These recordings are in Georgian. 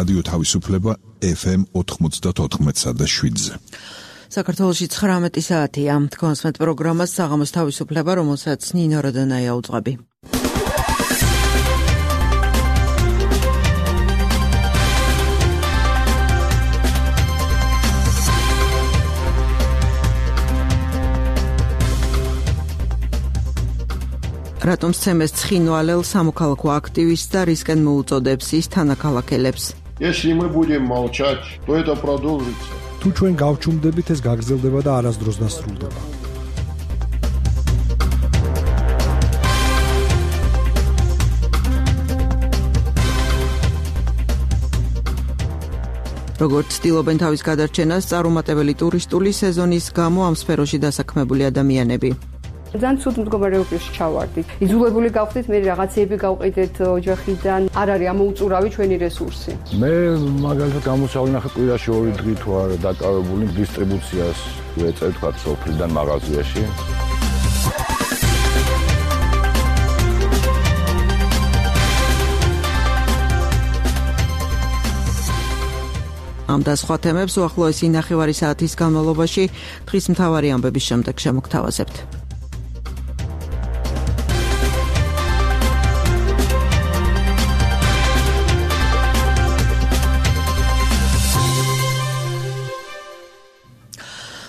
რადიო თავისუფლება FM 94.7-ზე. საქართველოში 19 საათია. თქვენსმეთ პროგრამას საღამოს თავისუფლება, რომელსაც ნინო როდონაია უძღვები. რატომ სცემეს ცხინვალელ სამოქალაქო აქტივისტს და რისკენ მოუწოდებს ის თანაქალაქელებს? Если мы будем молчать, то это продолжится. თუ ჩვენ გავჩუმდებით, ეს გაგრძელდება და არასდროს დასრულდება. როგორც ცდილობენ თავის გადარჩენას წარუმატებელი ტურისტული სეზონის გამო ამ სფეროში დასაქმებული ადამიანები. ძალიან ცუდ მდგომარეობაში ჩავარდით. იძულებული გავხდით მე რაღაცეები გავყიდეთ ოჯახიდან. არ არის ამოუწურავი ჩვენი რესურსი. მე მაგალითად გამოსავლინახე კვირაში 2 დღით ვარ დაკავებული დისტრიბუციას ვეწევ თქვა სოფლიდან მაღაზიაში. ამ და სხვა თემებს უახლოესი ნახევარი საათის განმავლობაში დღის მთავარი ამბების შემდეგ შემოგთავაზებთ.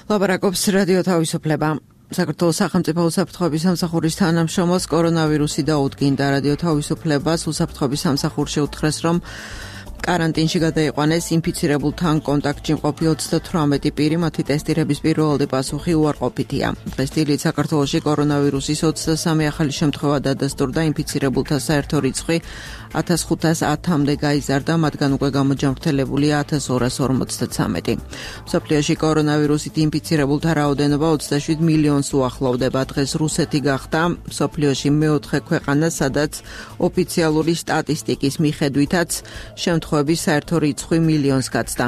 ლაპარაკობს რადიო თავისუფლება. საქართველოს სახელმწიფო უსაფრთხოების სამსახურის თანამშრომელს კორონავირუსი დაუდგინდა. რადიო თავისუფლებას უსაფრთხოების სამსახურში უთხრეს, რომ карантинში გადაიყვანეს ინფიცირებულთან კონტაქტში მყოფი 38 პირი, მათი ტესტირების პირველადი პასუხი უარყოფითია. დღეს დილით საქართველოში კორონავირუსის 23 ახალი შემთხვევა დადასტურდა, ინფიცირებულთა საერთო რიცხვი 1510-მდე გაიზარდა, მათგან უკვე გამოჯანმრთელებულია 1253. მსოფლიოში კორონავირუსით ინფიცირებულთა რაოდენობა 27 მილიონს უახლოვდება. დღეს რუსეთი გახდა მსოფლიოში მეოთხე ქვეყანა, სადაც ოფიციალური სტატისტიკის მიხედვითაც შემთხვევების საერთო რიცხვი მილიონს გაცდა.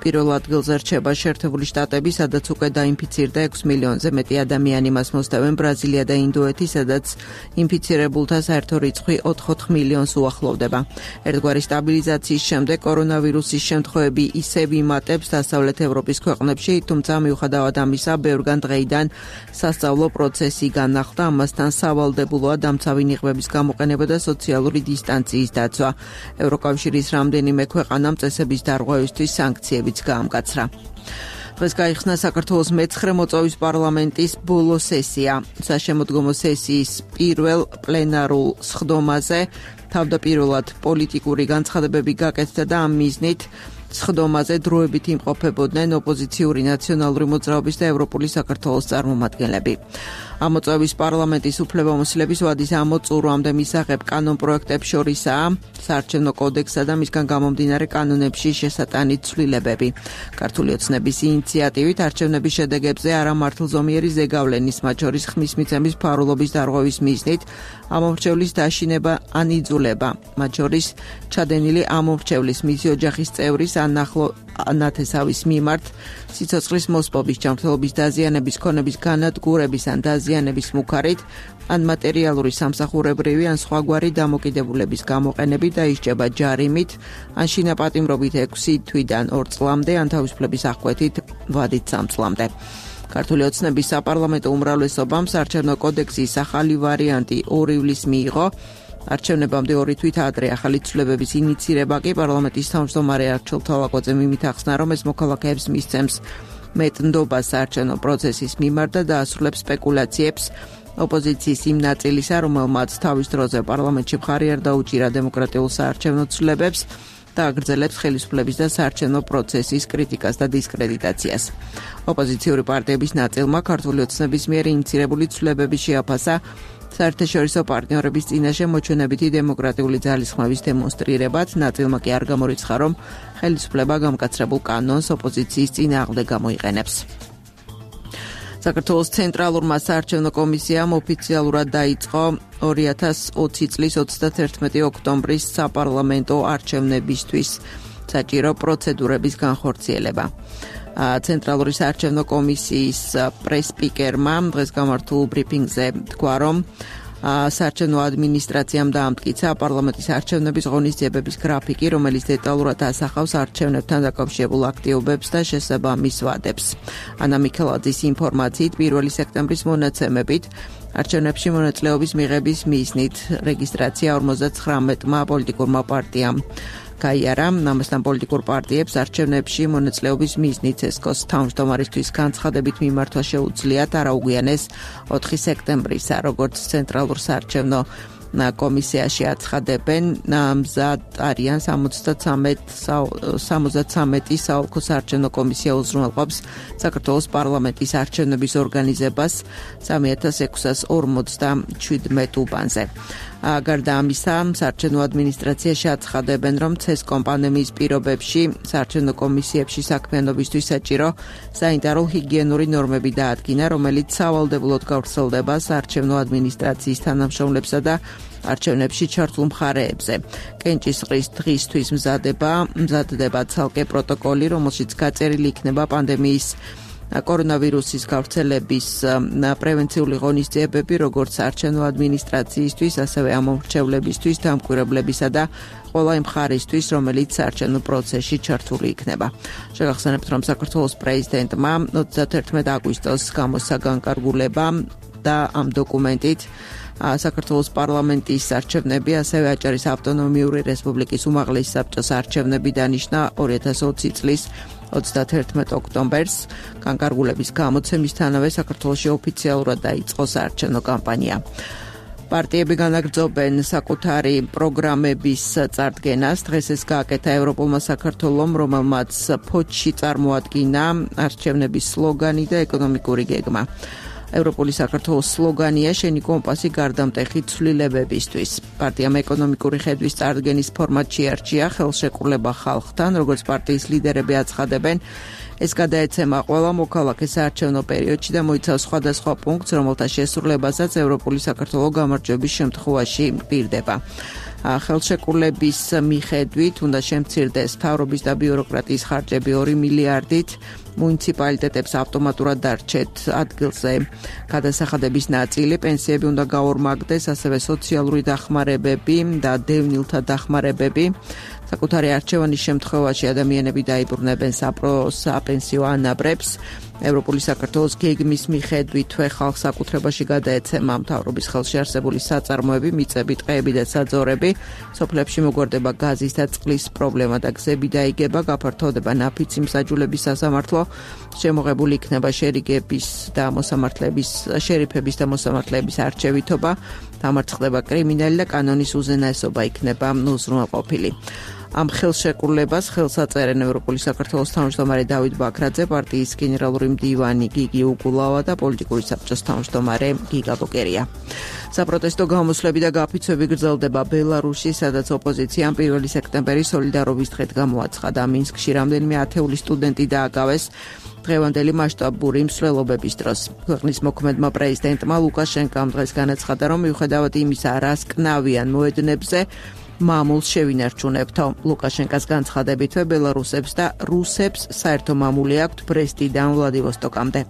პირველ ადგილზე რჩება შეერთებული შტატები, სადაც უკვე დაინფიცირდა 6 მილიონზე მეტი ადამიანი, მას მოსდევენ ბრაზილია და ინდოეთი, სადაც ინფიცირებულთა საერთო რიცხვი 4 მილიონს უახლოვდება. ერთგვარი სტაბილიზაციის შემდეგ კორონავირუსის შემთხვევები ისევ იმატებს დასავლეთ ევროპის ქვეყნებში, თუმცა მიუხედავად ამისა, ბევრგან დღეიდან სასწავლო პროცესი განახლდა, ამასთან სავალდებულოა დამცავი ნიღბების გამოყენება და სოციალური დისტანციის დაცვა. ევროკავშირის რამდენიმე ქვეყანამ წესების დარღვევისთვის სანქციებიც გაამკაცრა. დღეს გაიხსნა საქართველოს მე-9 მოწვევის პარლამენტის ბოლო სესია. საშემოდგომო სესიის პირველ პლენარულ სხდომაზე თავდაპირველად პოლიტიკური განცხადებები გაკეთდა და ამ მიზნით სხდომაზე დროებით იმყოფებოდნენ ოპოზიციური ნაციონალური მოძრაობის და ევროპული საქართველოს წარმომადგენლები. ამ მოწვევის პარლამენტის უფლებამოსილების ვადის ამოწურვამდე მისაღებ კანონპროექტებს შორისაა საარჩევნო კოდექსსა და მისგან გამომდინარე კანონებში შესატანით ცვლილებები. ქართული ოცნების ინიციატივით არჩევნების შედეგებზე არამართლზომიერი ზეგავლენის, მათ შორის ხმის მიცემის ფარულობის დარღვევის მიზნით ამომრჩევლის დაშინება ან იძულება, მათ შორის ჩადენილი ამომრჩევლის, მისი ოჯახის წევრის ან ახლო ნათესავის მიმართ სიცოცხლის მოსპობის, ჯანმრთელობის დაზიანების, ქონების განადგურების ან დაზიანების მუქარით, ან მატერიალური სამსახურებრივი ან სხვაგვარი დამოკიდებულების გამოყენებით დაისჯება ჯარიმით, ან შინაპატიმრობით 6 თვიდან 2 წლამდე, ან თავისუფლების აღკვეთით ვადით 3 წლამდე. ქართული ოცნების საპარლამენტო უმრავლესობამ საარჩევნო კოდექსის ახალი ვარიანტი 2 ივლისს მიიღო. არჩევნებამდე 2 თვით ადრე ახალი ცვლილებების ინიცირება კი პარლამენტის თავმჯდომარე არჩილ თვალაკოძემ იმით ახსნა, რომ ეს მოქალაქეებს მისცემს მეტნდობას საარჩევნო პროცესის მიმართ და დაასრულებს სპეკულაციებს ოპოზიციის იმ ნაწილისა, რომელმაც თავის დროზე პარლამენტში მხარი არ დაუჭირა დემოკრატიულ საარჩევნო ცვლილებებს და აგრძელებს ხელისუფლების და საარჩევნო პროცესის კრიტიკას და დისკრედიტაციას. ოპოზიციური პარტიების ნაწილმა ქართული ოცნების მიერ ინიცირებული ცვლილებები შეაფასა საერთაშორისო პარტნიორების წინაშე მოჩვენებითი დემოკრატიული ძალისხმევის დემონსტრირებად, ნაწილმა კი არ გამორიცხა, რომ ხელისუფლება გამკაცრებულ კანონს ოპოზიციის წინააღმდეგ გამოიყენებს. საქართველოს ცენტრალურმა საარჩევნო კომისიამ ოფიციალურად დაიწყო 2020 წლის 31 ოქტომბრის საპარლამენტო არჩევნებისთვის საჭირო პროცედურების განხორციელება. ცენტრალური საარჩევნო კომისიის პრესპიკერმა დღეს გამართულ ბრიფინგზე თქვა, რომ საარჩევნო ადმინისტრაციამ დაამტკიცა პარლამენტის არჩევნების ღონისძიებების გრაფიკი, რომელიც დეტალურად ასახავს არჩევნებთან დაკავშირებულ აქტივობებს და შესაბამის ვადებს. ანა მიქელაძის ინფორმაციით 1 სექტემბრის მონაცემებით არჩევნებში მონაწილეობის მიღების მიზნით რეგისტრაცია 59-მა პოლიტიკურმა პარტიამ გაიარა. ამასთან პოლიტიკურ პარტიებს არჩევნებში მონაწილეობის მიზნით CSKO-ს თავმჯდომარისთვის განცხადებით მიმართვა შეუძლიათ არაუგვიანეს 4 სექტემბრისა, როგორც ცენტრალურ საარჩევნო კომისიაში აცხადებენ, მზად არიან 73 საოლქო საარჩევნო კომისია უზრუნველყოფს საქართველოს პარლამენტის არჩევნების ორგანიზებას 3657 უბანზე. გარდა ამისა, საარჩევნო ადმინისტრაციაში აცხადებენ, რომ CSKO პანდემიის პირობებში საარჩევნო კომისიებში საქმიანობისთვის საჭირო სანიტარო ჰიგიენური ნორმები დაადგინა, რომელიც სავალდებულოდ გავრცელდება საარჩევნო ადმინისტრაციის თანამშრომლებსა და არჩევნებში ჩართულ მხარეებზე. კენჭისყრის დღისთვის მზადდება ცალკე პროტოკოლი, რომელშიც გაწერილი იქნება პანდემიის კორონავირუსის გავრცელების პრევენციული ღონისძიებები, როგორც საარჩევნო ადმინისტრაციისთვის, ასევე ამომრჩევლებისთვის, დამკვირვებლებისა და ყველა იმ მხარისთვის, რომელიც საარჩევნო პროცესში ჩართული იქნება. შეგახსენებთ, რომ საქართველოს პრეზიდენტმა 31 აგვისტოს გამოსცა განკარგულება და ამ დოკუმენტით საქართველოს პარლამენტის არჩევნები, ასევე აჭარის ავტონომიური რესპუბლიკის უმაღლესი საბჭოს არჩევნები დანიშნა 2020 წლის 31 ოქტომბერს. განკარგულების გამოცემისთანავე საქართველოში ოფიციალურად დაიწყო საარჩევნო კამპანია. პარტიები განაგრძობენ საკუთარი პროგრამების წარდგენას. დღეს ეს გააკეთა ევროპულმა საქართველომ, რომელმაც ფოთში წარმოადგინა არჩევნების სლოგანი და ეკონომიკური გეგმა. ევროპული საქართველოს სლოგანია შენი კომპასი გარდამტეხი ცვლილებებისთვის. პარტიამ ეკონომიკური ხედვის წარდგენის ფორმატში არჩია ხელშეკრულება ხალხთან, როგორც პარტიის ლიდერები აცხადებენ, ეს გადაეცემა ყველა მოქალაქეს საარჩევნო პერიოდში და მოიცავს სხვადასხვა პუნქტს, რომელთა შესრულებასაც ევროპული საქართველო გამარჯვების შემთხვევაში პირდება. ხელშეკრულების მიხედვით უნდა შემცირდეს მთავრობის და ბიუროკრატიის ხარჯები 2 მილიარდით, მუნიციპალიტეტებს ავტომატურად დარჩეთ ადგილზე გადასახადების ნაწილი, პენსიები უნდა გაორმაგდეს, ასევე სოციალური დახმარებები და დევნილთა დახმარებები. საკუთარი არჩევანის შემთხვევაში ადამიანები დაიბრუნებენ საპენსიო ანაბრებს. ევროპული საქართველოს გეგმის მიხედვით თვე ხალხს საკუთრებაში გადაეცემა მთავრობის ხელში არსებული საწარმოები, მიწები, ტყეები და საძოვრები. სოფლებში მოგვარდება გაზის და წყლის პრობლემა და გზები დაიგება, გაფართოვდება ნაფიცი მსაჯულების სასამართლო, შემოღებული იქნება შერიფების და მოსამართლეების არჩევითობა, დამარცხდება კრიმინალი და კანონის უზენაესობა იქნება უზრუნველყოფილი. ამ ხელშეკრულებას ხელს აწერენ ევროპული საქართველოს თავმჯდომარე დავით ბაქრაძე, პარტიის გენერალური მდივანი გიგი უგულავა და პოლიტიკური საბჭოს თავმჯდომარე გიგა ბოკერია. საპროტესტო გამოსვლები და გაფიცვები გრძელდება ბელარუსში, სადაც ოპოზიციამ 1 სექტემბერი სოლიდარობის დღედ გამოაცხადა. მინსკში რამდენიმე ათეული სტუდენტი დააკავეს დღევანდელი მასშტაბური მსვლელობების დროს. ქვეყნის მოქმედმა პრეზიდენტმა ლუკაშენკომ დღეს განაცხადა, რომ მიუხედავად იმისა, რას კნავიან მოედნებზე, მამულს შევინარჩუნებთო. ლუკაშენკას განცხადებითვე ბელარუსებს და რუსებს საერთო მამული აქვთ ბრესტიდან ვლადივოსტოკამდე.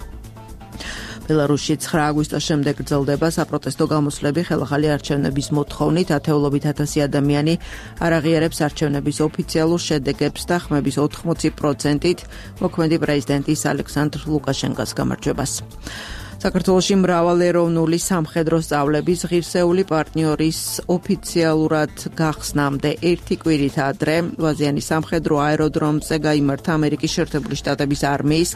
ბელარუსში 9 აგვისტოს შემდეგ გრძელდება საპროტესტო გამოსვლები ხელახალი არჩევნების მოთხოვნით. ათეულობით ათასი ადამიანი არ აღიარებს არჩევნების ოფიციალურ შედეგებს და ხმების 80%-ით მოქმედი პრეზიდენტის ალექსანდრ ლუკაშენკას გამარჯვებას. საქართველოში მრავალეროვნული სამხედრო სწავლების ღირსეული პარტნიორის ოფიციალურად გახსნამდე 1 კვირით ადრე ვაზიანის სამხედრო აეროდრომზე გაიმართა ამერიკის შეერთებული შტატების არმიის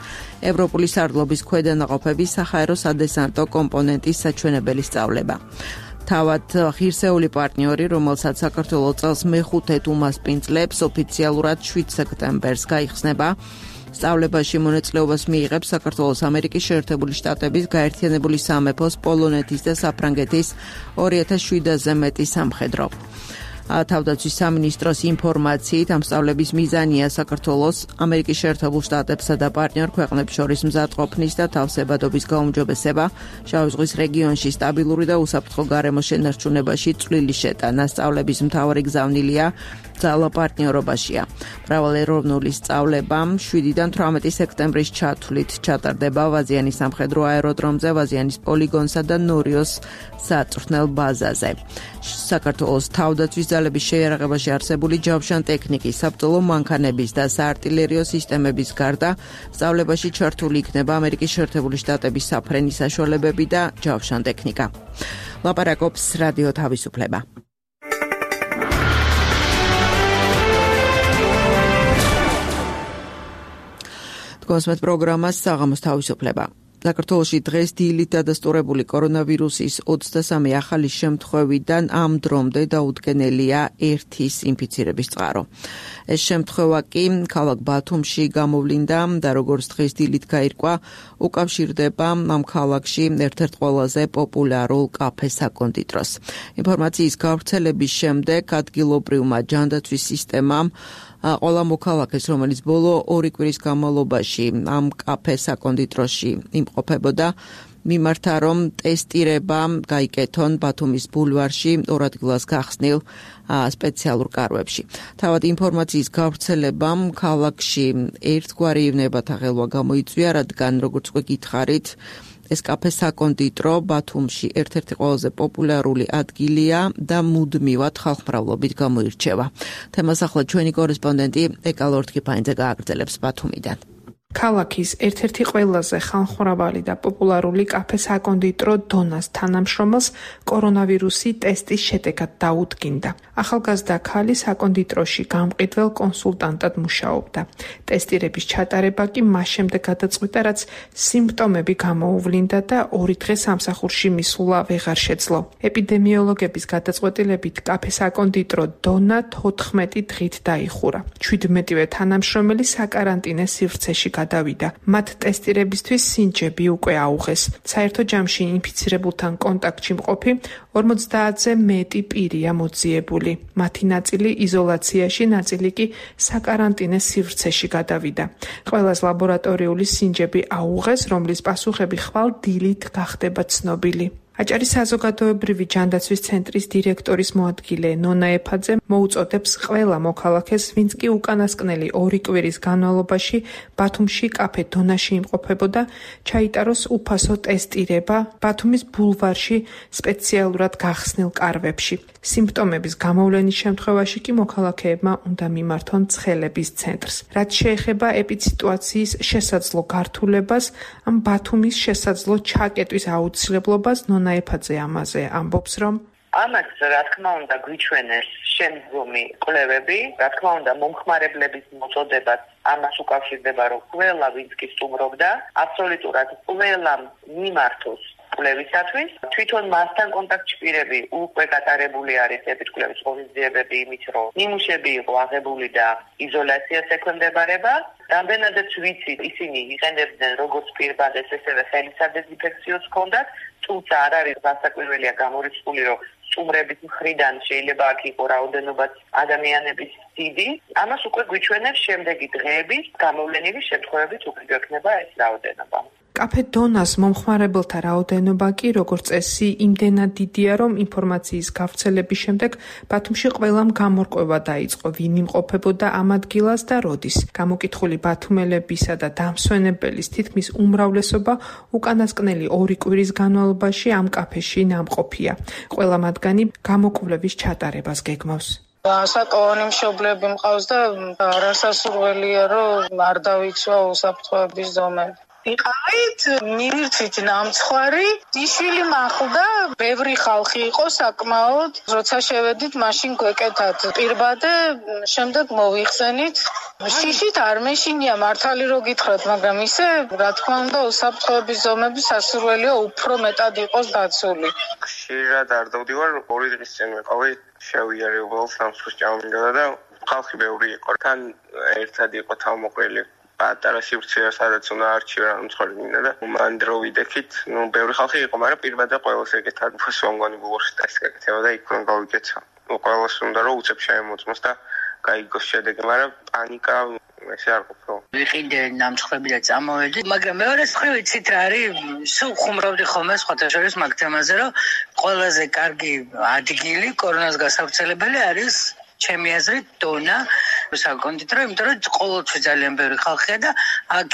ევროპული სარდლობის ქვედანაყოფების საჰაერო სადესანტო კომპონენტის საჩვენებელი სწავლება. თავად ღირსეული პარტნიორი, რომელსაც საქართველოს წელს მე-5 უმასპინძლებს, ოფიციალურად 7 სექტემბერს გაიხსნება. სწავლებაში მონაწილეობას მიიღებს საქართველოს ამერიკის შეერთებული შტატების გაერთიანებული სამეფოს, პოლონეთის და საფრანგეთის 2700-ზე მეტი სამხედრო. თავდაცვის სამინისტროს ინფორმაციით ამ სწავლების მიზანია საქართველოს, ამერიკის შეერთებულ შტატებსა და პარტნიორ ქვეყნებს შორის მზადყოფნის და თავსებადობის გაუმჯობესება, შავი ზღვის რეგიონში სტაბილური და უსაფრთხო გარემოს შენარჩუნებაში წვლილი შეტანა. სწავლების მთავარი გზავნილია ძალა პარტნიორობაშია. მრავალეროვნული სწავლება 7-დან 18 სექტემბრის ჩათვლით ჩატარდება ვაზიანის სამხედრო აეროდრომზე, ვაზიანის პოლიგონსა და ნორიოს საწვრთნელ ბაზაზე. საქართველოს თავდაცვის ძალების შეიარაღებაში არსებული ჯავშან ტექნიკის, საბრძოლო მანქანების და საარტილერიო სისტემების გარდა სწავლებაში ჩართული იქნება ამერიკის შეერთებული შტატების საფრენი საშუალებები და ჯავშან ტექნიკა. ლაპარაკობს რადიო თავისუფლება. დგომსმეთ პროგრამას საღამოს თავისუფლება. საქართველოში დღეს დილით დადასტურებული კორონავირუსის 23 ახალი შემთხვევიდან ამ დრომდე დაუდგენელია 1 ინფიცირების წყარო. ეს შემთხვევა კი ქალაქ ბათუმში გამოვლინდა და როგორც დღეს დილით გაირკვა, უკავშირდება ამ ქალაქში ერთ-ერთ ყველაზე პოპულარულ კაფე საკონდიტროს. ინფორმაციის გავრცელების შემდეგ ადგილობრივმა ჯანდაცვის სისტემამ ყველა მოქალაქეს, რომელიც ბოლო 2 კვირის განმავლობაში ამ კაფე საკონდიტროში იმყოფებოდა, მიმართა, რომ ტესტირება გაიკეთონ ბათუმის ბულვარში 2 ადგილას გახსნილ სპეციალურ კარვებში. თავად ინფორმაციის გავრცელებამ ქალაქში ერთგვარი ნებათა ღელვა გამოიწვია, რადგან როგორც უკვე გითხარით, ეს კაფე საკონდიტრო ბათუმში ერთ-ერთი ყველაზე პოპულარული ადგილია და მუდმივად ხალხმრავლობით გამოირჩევა. თემას ახლა ჩვენი კორესპონდენტი ეკალორთკიფაინძე გააგრძელებს ბათუმიდან. ქალაქის ერთ-ერთი ყველაზე ხალხმრავალი და პოპულარული კაფე საკონდიტრო დონას თანამშრომელს კორონავირუსი ტესტის შედეგად დაუდგინდა. ახალგაზრდა ქალი საკონდიტროში გამყიდველ კონსულტანტად მუშაობდა. ტესტირების ჩატარება კი მას შემდეგ გადაწყვიტა, რაც სიმპტომები გამოუვლინდა და 2 დღე სამსახურში მისვლა ვეღარ შეძლო. ეპიდემიოლოგების გადაწყვეტილებით კაფე საკონდიტრო დონა 14 დღით დაიხურა. 17-ვე თანამშრომელი საკარანტინე სივრცეში გადავიდა. მათ ტესტირებისთვის სინჯები უკვე აუღეს. საერთო ჯამში ინფიცირებულთან კონტაქტში მყოფი 50-ზე მეტი პირია მოძიებული. მათი ნაწილი იზოლაციაში, ნაწილი კი საკარანტინე სივრცეში გადავიდა. ყველას ლაბორატორიული სინჯები აუღეს, რომლის პასუხები ხვალ დილით გახდება ცნობილი. აჭარის საზოგადოებრივი ჯანდაცვის ცენტრის დირექტორის მოადგილე ნონა ეფაძე მოუწოდებს ყველა მოქალაქეს, ვინც კი უკანასკნელი 2 კვირის განმავლობაში ბათუმში კაფე დონაში იმყოფებოდა, ჩაიტაროს უფასო ტესტირება ბათუმის ბულვარში სპეციალურად გახსნილ კარვებში. სიმპტომების გამოვლენის შემთხვევაში კი მოქალაქეებმა უნდა მიმართონ ცხელების ცენტრს. რაც შეეხება ეპიდსიტუაციის შესაძლო გართულებას, ამ ბათუმის შესაძლო ჩაკეტვის აუცილებლობას ნონა ეფაძე ამაზე ამბობს, რომ ამას რა თქმა უნდა გვიჩვენეს შემდგომი კვლევები, რა თქმა უნდა მომხმარებლების მოწოდებაც ამას უკავშირდება, რომ ყველა ვინც კი სტუმრობდა, აბსოლუტურად ყველა მიმართოს კვლევისათვის. თვითონ მასთან კონტაქტში პირები უკვე გატარებული არის ეპიდკვლევის ღონისძიებები იმით, რომ ნიმუშები იყო აღებული და იზოლაციას ექვემდებარება. რამდენადაც ვიცით, ისინი იყენებდნენ როგორც პირბადეს, ესევე ხელისადეზინფექციოს ჰქონდათ, თუმცა არ არის გასაკვირველია გამორიცხული, რომ სტუმრების მხრიდან შეიძლება აქ იყო რაოდენობაც ადამიანების დიდი. ამას უკვე გვიჩვენებს შემდეგი დღეების გამოვლენილი შემთხვევებით უკვე გვექნება ეს რაოდენობა. კაფე დონას მომხმარებელთა რაოდენობა კი როგორც წესი იმდენად დიდია, რომ ინფორმაციის გავრცელების შემდეგ ბათუმში ყველამ გამორკვევა დაიწყო, ვინ იმყოფებოდა ამ ადგილას და როდის. გამოკითხული ბათუმელებისა და დამსვენებელის თითქმის უმრავლესობა უკანასკნელი 2 კვირის განმავლობაში ამ კაფეში ნამყოფია. ყველა მათგანი გამოკვლევის ჩატარებას გეგმავს. საკოვანი მშობლები მყავს და არასასურველია, რომ არ დავიცვა უსაფრთხოების ზომები. იყავით, მივირთვით ნამცხვარი, იშვილი მახლდა, ბევრი ხალხი იყო საკმაოდ, როცა შევედით, მაშინ გვეკეთათ პირბადე, შემდეგ მოვიხსენით. შიშით არ მეშინია, მართალი რო გითხრათ, მაგრამ ისე, რა თქმა უნდა, უსაფრთხოების ზომები სასურველია უფრო მეტად იყოს დაცული. ხშირად არ დავდივარ, 2 დღის წინ ვიყავი, შევიარებულ სამცხის ჭამმინდა და ხალხი ბევრი იყო. თან ერთად იყო თავმოყრილი. პატარა სივრცეა, სადაც უნდა არჩიო რა მცხოვრები მინდა და მან დრო ვიდექით, ბევრი ხალხი იყო, მაგრამ პირბადე ყველას ეკეთათ, უფასო ამგვარი ბულვარში ტესტი გაკეთება და იქ უნდა გავიკეთო. ყველას უნდა რომ უცებ შეემოწმოს და გაიგოს შედეგი, მაგრამ პანიკა ესე არ ყოფილა. ვიყიდე ნამცხრები და წამოვედი, მაგრამ მეორე მხრივ იცით რა არის, სულ ხუმრობდი ხოლმე სხვათა შორის მაგ თემაზე, რომ ყველაზე კარგი ადგილი კორონას გასავრცელებელი არის ჩემი აზრით დონა საკონდიტრო, იმიტომ რომ ყოველთვის ძალიან ბევრი ხალხია და აქ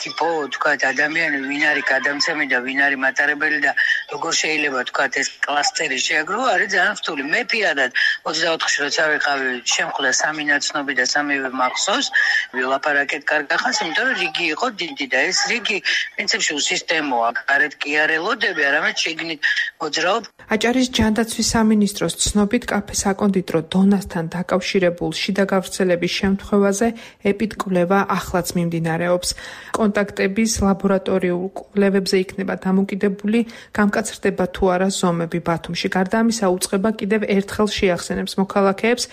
თქვა ადამიანები ვინ არის გადამცემი და ვინ არის მატარებელი და როგორ შეიძლება თქვა ეს კლასტერი შეაგროვა არის ძალიან რთული. მე პირადად 24-ში როცა ვიყავი შემხვდა 3 ნაცნობი და 3-ვე მახსოვს ვილაპარაკეთ კარგახანს, იმიტომ რომ რიგი იყო დიდი და ეს რიგი პრინციპში სისტემაა. გარეთ კი არ ელოდები, არამედ შიგნით მოძრაობ. აჭარის ჯანდაცვის სამინისტროს ცნობით კაფე საკონდიტრო დონასთან დაკავშირებულ შიდა გავრცელების შემთხვევაზე ეპიდკვლევა ახლაც მიმდინარეობს. კონტაქტების ლაბორატორიულ კვლევებზე იქნება დამოკიდებული, გამკაცრდება თუ არა ზომები ბათუმში. გარდა ამისა, უწყება კიდევ ერთხელ შეახსენებს მოქალაქეებს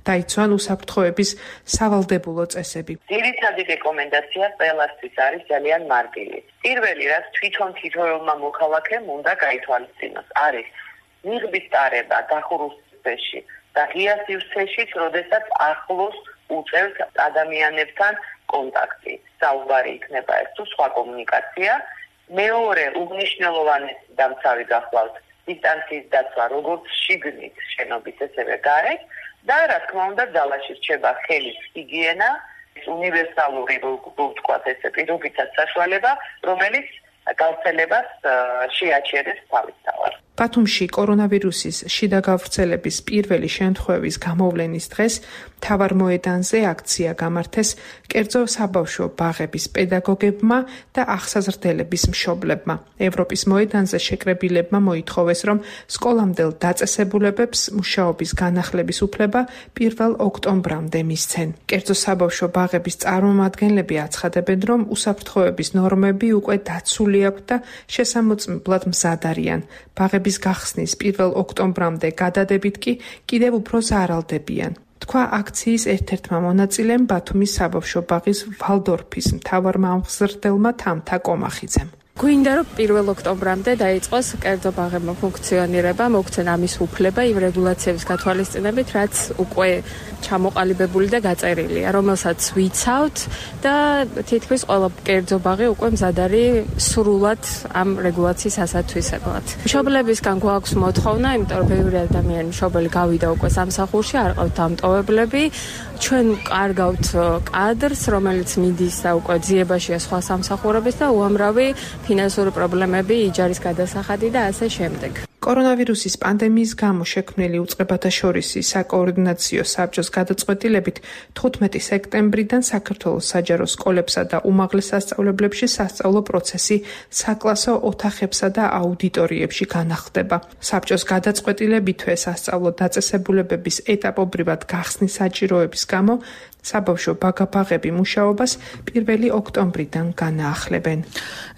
დაიცვან უსაფრთხოების სავალდებულო წესები. ძირითადი რეკომენდაცია ყველასთვის არის ძალიან მარტივი. პირველი რაც თვითონმა მოქალაქემ უნდა გაითვალისწინოს, არის მიღების ტარება დახურულ სივრცეში და ღია სივრცეში, როდესაც ახლოს უწევთ ადამიანებთან კონტაქტი. საუბარი იქნება ეს თუ სხვა კომუნიკაცია. მეორე უნიშნელოვანესი დამცავი გახლავთ დისტანციის დაცვა როგორც შიგნით შენობის ესევე გარეთ და რა თქმა უნდა ძალაში რჩება ხელის ჰიგიენა, უნივერსალური ვთქვათ ესე პირობითად საშუალება, რომელიც გავრცელებას შეაჩერებს თავისთავად. ბათუმში კორონავირუსის შიდა გავრცელების პირველი შემთხვევის გამოვლენის დღეს მთავარ მოედანზე აქცია გამართეს კერძო საბავშვო ბაღების პედაგოგებმა და აღსაზრდელების მშობლებმა. ევროპის მოედანზე შეკრებილებმა მოითხოვეს, რომ სკოლამდელ დაწესებულებებს მუშაობის განახლების უფლება 1 ოქტომბრამდე მისცენ. კერძო საბავშვო ბაღების წარმომადგენლები აცხადებენ, რომ უსაფრთხოების ნორმები უკვე დაცული აქვთ და შესამოწმებლად მზად არიან. ბაღების გახსნის 1 ოქტომბრამდე გადადებით კი კიდევ უფრო ზარალდებიან. თქვა აქციის ერთ-ერთმა მონაწილემ ბათუმის საბავშვო ბაღის ვალდორფის მთავარმა ამხსრდელმა თამთა კომახიძემ. გვინდა რომ 1 ოქტომბრამდე დაიწყოს კერძო ბაღებმა ფუნქციონირება, მოგცენ ამის უფლება იმ რეგულაციების გათვალისწინებით, რაც უკვე ჩამოყალიბებული და გაწერილია, რომელსაც ვიცავთ და თითქმის ყველა კერძო ბაღი უკვე მზად არის სრულად ამ რეგულაციის ასათვისებლად. მშობლებისგან გვაქვს მოთხოვნა, იმიტომ რომ ბევრი ადამიანი მშობელი გავიდა უკვე სამსახურში, არ ყავთ დამტოვებლები. ჩვენ კარგავთ კადრს, რომელიც მიდის და უკვე ძიებაშია სხვა სამსახურების და უამრავი ფინანსური პრობლემები, იჯარის გადასახადი და ასე შემდეგ. კორონავირუსის პანდემიის გამო შექმნილი უწყებათა შორისი საკოორდინაციო საბჭოს გადაწყვეტილებით 15 სექტემბრიდან საქართველოს საჯარო სკოლებსა და უმაღლეს სასწავლებლებში სასწავლო პროცესი საკლასო ოთახებსა და აუდიტორიებში განახლდება. საბჭოს გადაწყვეტილებითვე სასწავლო დაწესებულებების ეტაპობრივად გახსნის საჭიროების გამო საბავშვო ბაღები მუშაობას 1 ოქტომბრიდან განაახლებენ.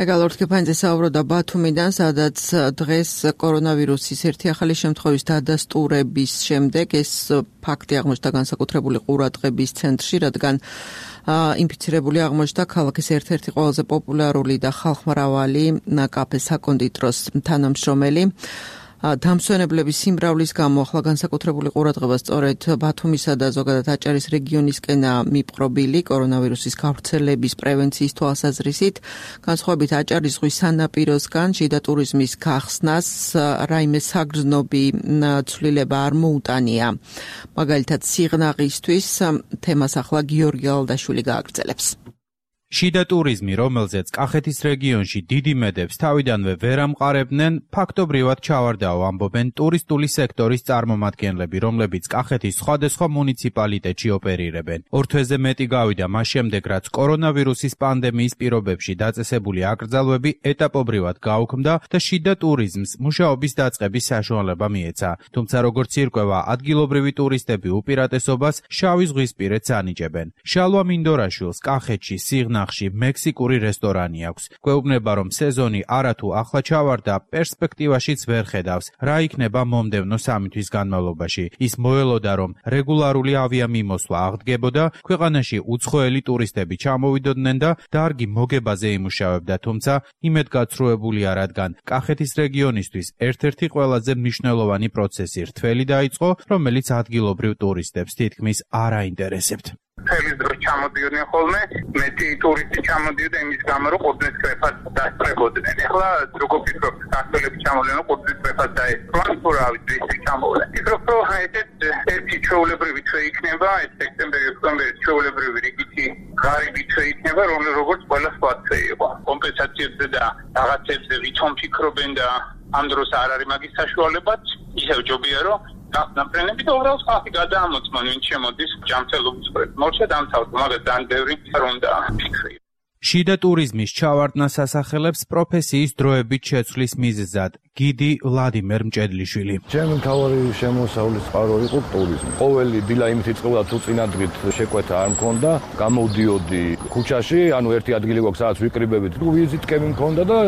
ეგალორთქეფანძე საუბრობდა ბათუმიდან, სადაც დღეს კორონავირუსის ერთი ახალი შემთხვევის დადასტურების შემდეგ ეს ფაქტი აღმოჩნდა განსაკუთრებული ყურადღების ცენტრში, რადგან ინფიცირებული აღმოჩნდა ქალაქის ერთ-ერთი ყველაზე პოპულარული და ხალხმრავალი კაფე საკონდიტროს თანამშრომელი. დამსვენებლების სიმრავლის გამო ახლა განსაკუთრებული ყურადღება სწორედ ბათუმისა და ზოგადად აჭარის რეგიონისკენა მიპყრობილი კორონავირუსის გავრცელების პრევენციის თვალსაზრისით. განსხვავებით აჭარის ზღვის სანაპიროსგან შიდა ტურიზმის გახსნას რაიმე საგრძნობი ცვლილება არ მოუტანია. მაგალითად სიღნაღისთვის თემას ახლა გიორგი ალდაშვილი გააგრძელებს. შიდა ტურიზმი, რომელზეც კახეთის რეგიონში დიდი მედებს თავიდანვე ვერ ამყარებდნენ, ფაქტობრივად ჩავარდაო, ამბობენ ტურისტული სექტორის წარმომადგენლები, რომლებიც კახეთის სხვადასხვა მუნიციპალიტეტში ოპერირებენ. 2 თვეზე მეტი გავიდა მას შემდეგ, რაც კორონავირუსის პანდემიის პირობებში დაწესებული აკრძალვები ეტაპობრივად გაუქმდა და შიდა ტურიზმს მუშაობის დაწყების საშუალება მიეცა. თუმცა როგორც ირკვევა, ადგილობრივი ტურისტები უპირატესობას შავი ზღვისპირეთს ანიჭებენ. შალვა მინდორაშვილს კახეთში სიღნაღში მექსიკური რესტორანი აქვს. გვეუბნება, რომ სეზონი არათუ ახლა ჩავარდა, პერსპექტივაშიც ვერ ხედავს, რა იქნება მომდევნო 3 თვის განმავლობაში. ის მოელოდა, რომ რეგულარული ავიამიმოსვლა აღდგებოდა, ქვეყანაში უცხოელი ტურისტები ჩამოვიდოდნენ და დარგი მოგებაზე იმუშავებდა, თუმცა იმედგაცრუებულია, რადგან კახეთის რეგიონისთვის ერთ-ერთი ყველაზე მნიშვნელოვანი პროცესი რთველი დაიწყო, რომელიც ადგილობრივ ტურისტებს თითქმის არ აინტერესებთ. წელის დროს ჩამოდიოდნენ ხოლმე, მეტი ტურისტი ჩამოდიოდა იმის გამო, რომ ყურძნის კრეფას დასწრებოდნენ. ეხლა როგორ ფიქრობთ, ქართველები ჩამოვლენ, რომ ყურძნის კრეფას დაესწრონ, თუ რა ვიცი, ის ჩამოვლენ. ფიქრობ, რომ ერთი ჩვეულებრივი თვე იქნება, ეს სექტემბერი-ოქტომბერი ჩვეულებრივი რიგითი ღარიბი თვე იქნება, როგორც ყველა სხვა თვე იყო. კომპენსაციებზე და რაღაცებზე ვითომ ფიქრობენ და ამ დროს არ არის მაგის საშუალებაც, ისევ ჯობია, რომ ნაპრენები და უბრალოდ ხალხი გადაამოწმონ, ვინც შემოდის ჯანმრთელობის მხრივ. მორჩა დამთავრდა, მაგრამ ძალიან ბევრი არ უნდა ფიქრი. შიდა ტურიზმის ჩავარდნას ასახელებს პროფესიის დროებით შეცვლის მიზეზად გიდი ვლადიმერ მჭედლიშვილი. ჩემი მთავარი შემოსავლის წყარო იყო ტურიზმი. ყოველი დილა იმით იწყებოდა თუ წინადღით შეკვეთა არ მქონდა, გამოვდიოდი ქუჩაში, ანუ ერთი ადგილი გვაქვს სადაც ვიკრიბებით, თუ ვიზიტკები მქონდა და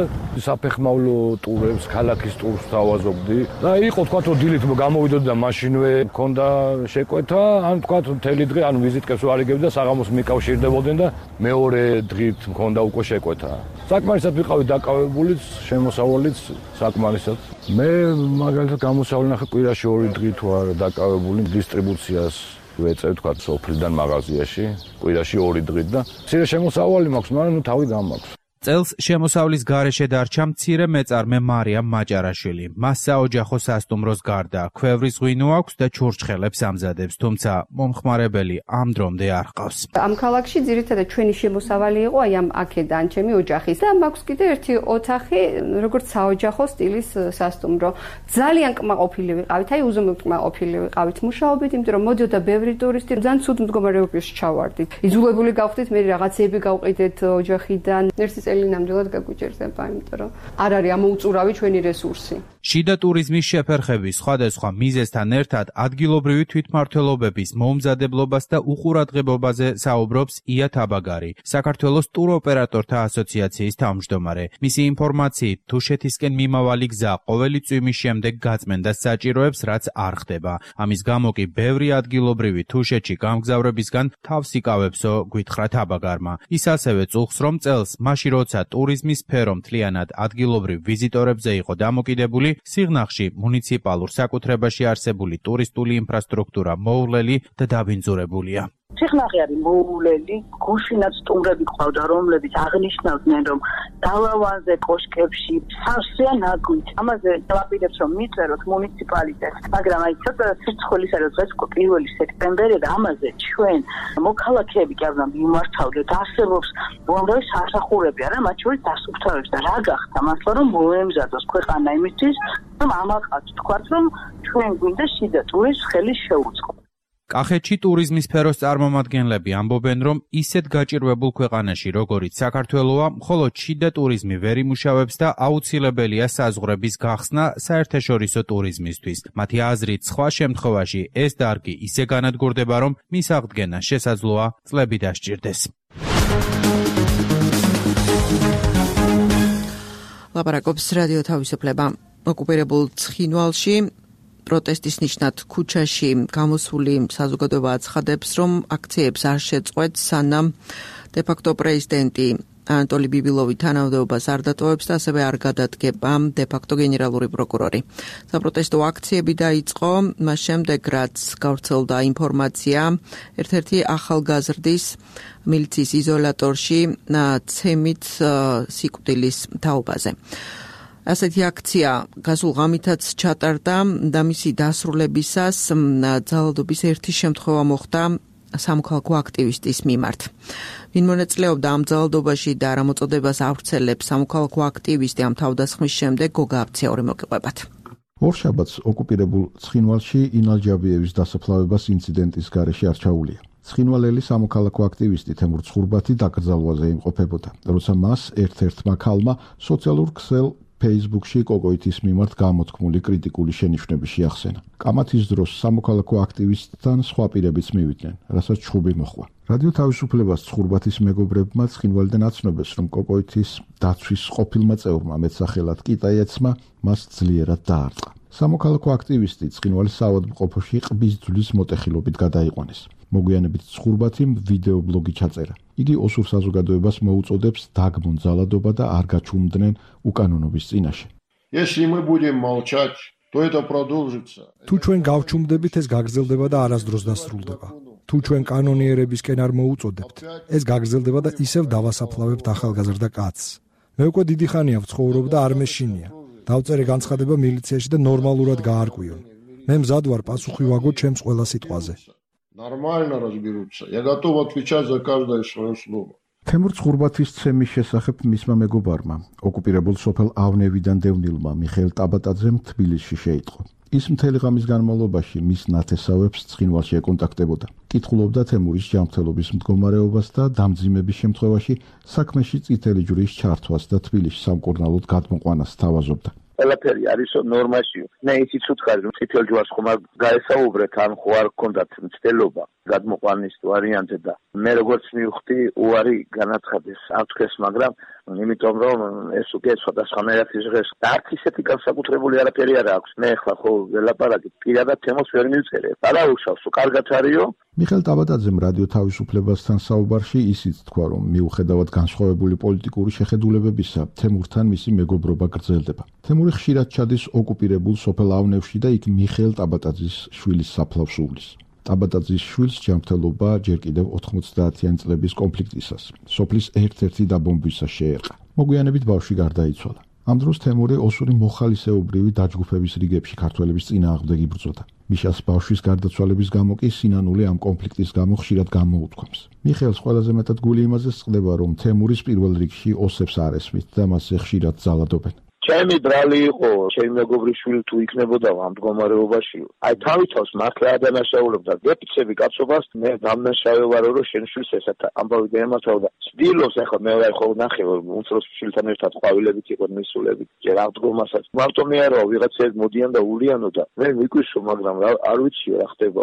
საფეხმავლო ტურებს, ქალაქის ტურს თავაზობდი. და იყო თქვა თუ დილით გამოვიდოდი და მაშინვე მქონდა შეკვეთა, ან თქვა მთელი დღე, ანუ ვიზიტკებს არ იგებდი და საღამოს მიკავშირდებოდნენ და მეორე დღით მქონდა უკვე შეკვეთა. საკმარისად ვიყავი დაკავებულიც, შემოსავალიც საკმარისად. მე მაგალითად გამოსავლენ ახლა კვირაში 2 დღე თუ არა დაკავებული დისტრიბუციას ვეწევ თქვა სოფლიდან მაღაზიაში, კვირაში 2 დღე და მცირე შემოსავალი მაქვს, მაგრამ თავი გამაქვს. წელს შემოსავლის გარეშე დარჩა მცირე მეწარმე მარიამ მაჭარაშვილი. მას საოჯახო სასტუმროს გარდა ქვევრის ღვინო აქვს და ჩურჩხელებს ამზადებს, თუმცა მომხმარებელი ამ დრომდე არ ჰყავს. ამ ქალაქში ძირითადად ჩვენი შემოსავალი იყო აი ამ აქედან ჩემი ოჯახის და მაქვს კიდე ერთი ოთახი, როგორც საოჯახო სტილის სასტუმრო. ძალიან კმაყოფილი ვიყავით, აი უზომოდ კმაყოფილი ვიყავით მუშაობით, იმიტომ რომ მოდიოდა ბევრი ტურისტი, ძალიან ცუდ მდგომარეობაში ჩავარდით. იძულებული გავხდით მე რაღაცეები გავყიდეთ ოჯახიდან. ერთი წელი ნამდვილად გაგვიჭირდება, იმიტომ რომ არ არის ამოუწურავი ჩვენი რესურსი. შიდა ტურიზმის შეფერხების სხვადასხვა მიზეზთან ერთად ადგილობრივი თვითმმართველობების მოუმზადებლობას და უყურადღებობაზე საუბრობს ია თაბაგარი, საქართველოს ტუროპერატორთა ასოციაციის თავმჯდომარე. მისი ინფორმაციით, თუშეთისკენ მიმავალი გზა ყოველი წვიმის შემდეგ გაწმენდას საჭიროებს, რაც არ ხდება. ამის გამო კი ბევრი ადგილობრივი თუშეთში გამგზავრებისგან თავს იკავებსო, გვითხრა თაბაგარმა. ის ასევე წუხს, რომ წელს მაშინ როცა ტურიზმის სფერო მთლიანად ადგილობრივ ვიზიტორებზე იყო დამოკიდებული, სიღნაღში მუნიციპალურ საკუთრებაში არსებული ტურისტული ინფრასტრუქტურა მოუვლელი და დაბინძურებულია. სიღნაღი არის მოუვლელი, გუშინაც სტუმრები ყავდა, რომლებიც აღნიშნავდნენ, რომ გალავანზე, კოშკებში სავსეა ნაგვით. ამაზე დავაპირებს, რომ მიწეროთ მუნიციპალიტეტს, მაგრამ აი ცოტა სირცხვილის არის დღეს 1 სექტემბერი და ამაზე ჩვენ მოქალაქეები კი არ უნდა მიმართავდეთ. არსებობს უამრავი სასახურები, არა, მათ შორის დასუფთავებს და რა გახდა მართლა რომ მოემზადოს ქვეყანა იმისთვის, რომ ამაყაც თქვათ, რომ ჩვენ გვინდა შიდა ტურიზმს ხელი შეუწყო. კახეთში ტურიზმის სფეროს წარმომადგენლები ამბობენ, რომ ისეთ გაჭირვებულ ქვეყანაში, როგორიც საქართველოა, მხოლოდ შიდა ტურიზმი ვერ იმუშავებს და აუცილებელია საზღვრების გახსნა საერთაშორისო ტურიზმისთვის. მათი აზრით, სხვა შემთხვევაში ეს დარგი ისე განადგურდება, რომ მის აღდგენა შესაძლოა წლები დასჭირდეს. ლაპარაკობს რადიო თავისუფლება. ოკუპირებულ ცხინვალში პროტესტის ნიშნად ქუჩაში გამოსული საზოგადოება აცხადებს, რომ აქციებს არ შეწყვეტს, სანამ დე-ფაქტო პრეზიდენტი ანატოლი ბიბილოვი თანამდებობას არ დატოვებს და ასევე არ გადადგება დე-ფაქტო გენერალური პროკურორი. საპროტესტო აქციები დაიწყო, მას შემდეგ რაც გავრცელდა ინფორმაცია ერთ-ერთი ახალგაზრდის მილიციის იზოლატორში ცემით სიკვდილის თაობაზე. ასეთი აქცია გასულ ღამითაც ჩატარდა და მისი დასრულებისას ძალადობის ერთი შემთხვევა მოხდა სამოქალაქო აქტივისტის მიმართ. ვინ მონაწილეობდა ამ ძალადობაში და რა მოწოდებას ავრცელებს სამოქალაქო აქტივისტი ამ თავდასხმის შემდეგ გოგა აფციური მოგიყვებათ. ორშაბათს ოკუპირებულ ცხინვალში ინალჯაბიევის დასაფლავებას ინციდენტის გარეშე არ ჩაუვლია. ცხინვალელი სამოქალაქო აქტივისტი თემურ ცხურბათი დაკრძალვაზე იმყოფებოდა, როცა მას ერთ-ერთმა ქალმა სოციალურ ქსელ Facebook-ში კოკოითის მიმართ გამოთქმული კრიტიკული შენიშვნები შეახსენა. კამათის დროს სამოქალაქო აქტივისტთან სხვა პირებიც მივიდნენ, რასაც ჩხუბი მოჰყვა. რადიო თავისუფლებას ცხურბათის მეგობრებმა ცხინვალიდან აცნობეს, რომ კოკოითის დაცვის ყოფილმა წევრმა მეტსახელად კიტაიაცმა მას ძლიერად დაარტყა. სამოქალაქო აქტივისტი ცხინვალის საავადმყოფოში ყბის ძვლის მოტეხილობით გადაიყვანეს. მოგვიანებით ცხურბათიმ ვიდეო ბლოგი ჩაწერა. იგი ოსურ საზოგადოებას მოუწოდებს დაგმონ ძალადობა და არ გაჩუმდნენ უკანონობის წინაშე. Если мы будем молчать, то это продолжится. თუ ჩვენ გავჩუმდებით, ეს გაგრძელდება და არასდროს დასრულდება. თუ ჩვენ კანონიერებისკენ არ მოუწოდებთ, ეს გაგრძელდება და ისევ დავასაფლავებთ ახალგაზრდა კაცს. მე უკვე დიდი ხანია ვცხოვრობ და არ მეშინია. დავწერე განცხადება მილიციაში და ნორმალურად გაარკვიონ. მე მზად ვარ პასუხი ვაგო ჩემს ყველა სიტყვაზე. Нормально разберутся. Я готов отвечать за каждое свое слово. თემურ ცხურბათის ცემის შესახებ მისმა მეგობარმა, ოკუპირებულ სოფელ ავნევიდან დევნილმა მიხეილ ტაბატაძემ თბილისში შეიტყო. ის მთელი ღამის განმავლობაში მის ნათესავებს ცხინვალში ეკონტაქტებოდა. კითხულობდა თემურის ჯანმრთელობის მდგომარეობას და დამძიმების შემთხვევაში საქმეში წითელი ჯვრის ჩართვას და თბილისში სამკურნალოდ გადმოყვანას თავაზობდა. ყველაფერი არის ნორმაში. მე ისიც უთხარი, რომ წითელ ჯვარს ხომ არ გაესაუბრეთ, ან ხო არ გქონდათ მცდელობა გადმოყვანის ვარიანტზე და მე როგორც მივხვდი, უარი განაცხადეს ამთქეს, მაგრამ იმიტომ რომ ეს უკვე სხვადასხვანაირად იზღეს. არც ისეთი განსაკუთრებული არაფერი არ აქვს. მე ახლა ხო ველაპარაკი, პირადად თემოს ვერ მივწერე. არაუშავს, კარგად არისო. მიხეილ ტაბატაძემ რადიო თავისუფლებასთან საუბარში ისიც თქვა, რომ მიუხედავად განსხვავებული პოლიტიკური შეხედულებებისა, თემურთან მისი მეგობრობა გრძელდება. თემური ხშირად ჩადის ოკუპირებულ სოფელ ავნევში და იქ მიხეილ ტაბატაძის შვილის საფლავს უვლის. ტაბატაძის შვილს ჯანმრთელობა ჯერ კიდევ 90-იანი წლების კონფლიქტისას, სოფლის ერთ-ერთი დაბომბვისას შეერყა. მოგვიანებით ბავშვი გარდაიცვალა. ამ დროს თემური ოსური მოხალისეობრივი დაჯგუფების რიგებში ქართველების წინააღმდეგ იბრძოდა. მიშას ბავშვის გარდაცვალების გამო კი სინანული ამ კონფლიქტის გამო ხშირად გამოუთქვამს. მიხეილს ყველაზე მეტად გული იმაზე სწყდება, რომ თემურის პირველ რიგში ოსებს არ ესმით და მასზე ხშირად ძალადობენ. ჩემი ბრალი იყო, ჩემი მეგობრის შვილი თუ იქნებოდა ამ მდგომარეობაში. აი თავითავს მართლა ადანაშაულებდა დეფიცები კაცობას, მე დამნაშავე ვარ, რომ შენ შვილს ესეთ ამბავი დაემართავდა. ცდილობს ახლა მე ვარ ხო ნახე, უმცროს შვილთან ერთად ყვავილებით იყო მისულებით, ჯერ ამ მდგომასაც. მარტომი არა, ვიღაცები მოდიან და ულიანო და მე მიგვიშო, მაგრამ არ ვიცი რა ხდება.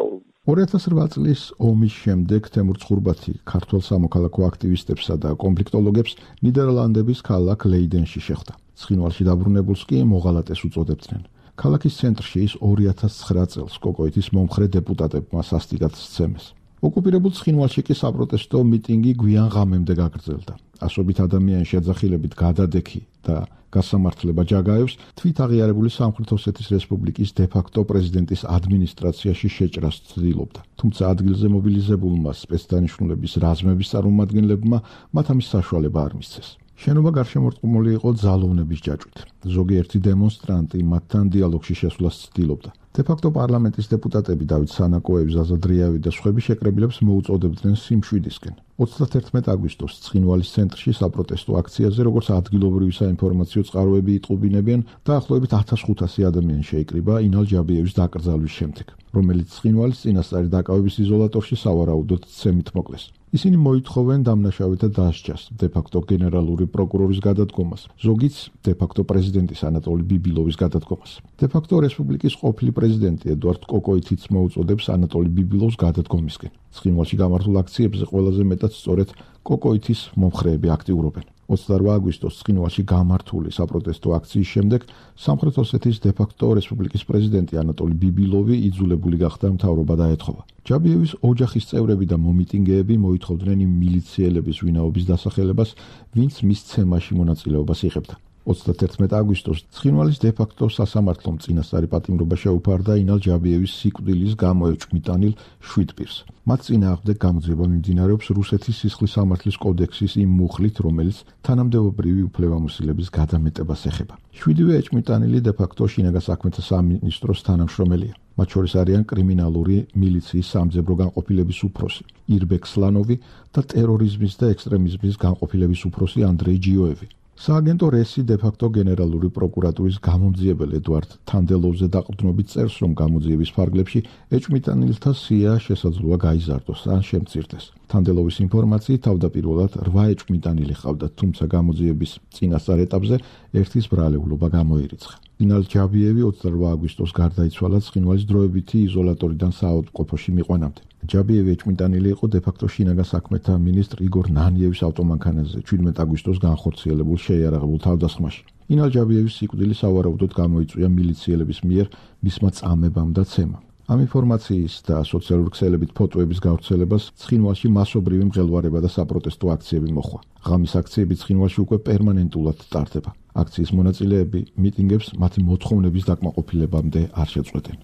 2008 წლის ომის შემდეგ თემურ ცხურბათი ქართველ სამოქალაქო აქტივისტებსა და კონფლიქტოლოგებს ნიდერლანდების ქალაქ ლეიდენში შეხვდა. ცხინვალში დაბრუნებულს კი მოღალატეს უწოდებდნენ. ქალაქის ცენტრში ის 2009 წელს კოკოითის მომხრე დეპუტატებმა სასტიკად სცემეს. ოკუპირებულ ცხინვალში კი საპროტესტო მიტინგი გვიან ღამემდე გაგრძელდა. ასობით ადამიანი შეძახილებით გადადექი და გასამართლება ჯაგაევს თვით აღიარებული სამხრეთ ოსეთის რესპუბლიკის დე-ფაქტო პრეზიდენტის ადმინისტრაციაში შეჭრას ცდილობდა. თუმცა ადგილზე მობილიზებულმა სპეცდანიშნულების რაზმების წარმომადგენლებმა მათ ამის საშუალება არ მისცეს. შენობა გარშემორტყმული იყო ძალოვნების ჯაჭვით. ზოგიერთი დემონსტრანტი მათთან დიალოგში შესვლას ცდილობდა. დე-ფაქტო პარლამენტის დეპუტატები დავით სანაკოევი, ზაზა დრიავი და სხვები შეკრებილებს მოუწოდებდნენ სიმშვიდისკენ. 31 აგვისტოს ცხინვალის ცენტრში საპროტესტო აქციაზე, როგორც ადგილობრივი საინფორმაციო წყაროები იტყობინებიან, დაახლოებით 1500 ადამიანი შეიკრიბა ინალ ჯაბიევის დაკრძალვის შემდეგ, რომელიც ცხინვალის წინასწარი დაკავების იზოლატორში სავარაუდოდ ცემით მოკლეს. ისინი მოითხოვენ დამნაშავეთა დასჯას, დე-ფაქტო გენერალური პროკურორის გადადგომას, ზოგიც დე-ფაქტო პრეზიდენტის ანატოლი ბიბილოვის გადადგომას. დე-ფაქტო რესპუბლიკის ყოფილი პრეზიდენტი ედუარდ კოკოითიც მოუწოდებს ანატოლი ბიბილოვს გადადგომისკენ. ცხინვალში გამართულ აქციებზე ყველაზე მეტად სწორედ კოკოითის მომხრეები აქტიურობენ. 28 აგვისტოს ცხინვალში გამართული საპროტესტო აქციის შემდეგ სამხრეთ ოსეთის დე-ფაქტო რესპუბლიკის პრეზიდენტი ანატოლი ბიბილოვი იძულებული გახდა მთავრობა დაეთხოვა. ჯაბიევის ოჯახის წევრები და მომიტინგეები მოითხოვდნენ იმ მილიციელების ვინაობის დასახელებას, ვინც მის ცემაში მონაწილეობას იღებდა. 31 აგვისტოს ცხინვალის დე-ფაქტო სასამართლომ წინასწარი პატიმრობა შეუფარდა ინალ ჯაბიევის სიკვდილის გამო ეჭვმიტანილ შვიდპირს. მათ წინააღმდეგ გამოძიება მიმდინარეობს რუსეთის სისხლის სამართლის კოდექსის იმ მუხლით, რომელიც თანამდებობრივი უფლებამოსილების გადამეტებას ეხება. 7-ვე ეჭვმიტანილი დე-ფაქტო შინაგან საქმეთა სამინისტროს თანამშრომელია. მათ შორის არიან კრიმინალური მილიციის სამძებრო განყოფილების უფროსი ირბეკ სლანოვი და ტერორიზმის და ექსტრემიზმის განყოფილების უფროსი ანდრეი ჯიოევი. სააგენტო რესი დე-ფაქტო გენერალური პროკურატურის გამომძიებელ ედუარდ თანდელოვზე დაყრდნობით წერს, რომ გამოძიების ფარგლებში ეჭვმიტანილთა სია შესაძლოა გაიზარდოს ან შემწირდეს. თანდელოვის ინფორმაციით თავდაპირველად 8 ეჭვმიტანილი ჰყავდათ, თუმცა გამოძიების წინასწარ ეტაპზე ერთის ბრალეულობა გამოირიცხა. ინალ ჯაბიევი 28 აგვისტოს გარდაიცვალა ცხინვალის დროებითი იზოლატორიდან საავადმყოფოში მიყვანამდე. ჯაბიევი ეჭვმიტანილი იყო დე-ფაქტო შინაგან საქმეთა მინისტრ იგორ ნანიევის ავტომანქანაზე 17 აგვისტოს განხორციელებულ შეიარაღებულ თავდასხმაში. ინალ ჯაბიევის სიკვდილი სავარაუდოდ გამოიწვია მილიციელების მიერ მისმა წამებამ და ცემამ. ამ ინფორმაციის და სოციალური ქსელებით ფოტოების გავრცელებას ცხინვალში მასობრივი მღელვარება და საპროტესტო აქციები მოხვა. ღამის აქციები ცხინვალში უკვე პერმანენტულად ტარდება. აქციის მონაწილეები მიტინგებს მათი მოთხოვნების დაკმაყოფილებამდე არ შეწყვეტენ.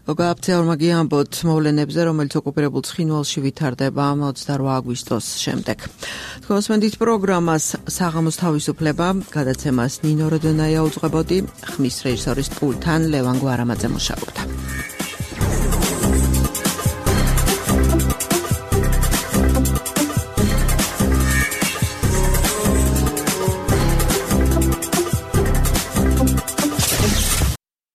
გოგა აფცეორმაგი ამბობთ მოვლენებზე, რომელიც ოკუპირებულ ცხინვალში ვითარდება 28 აგვისტოს შემდეგ. თქვენს მენდით პროგრამას საღამოს თავისუფლება, გადაცემას ნინო როდონაია უძღვებოდი, ხმის რეჟისორის პულთან ლევან გვარამაძე მუშაობდა.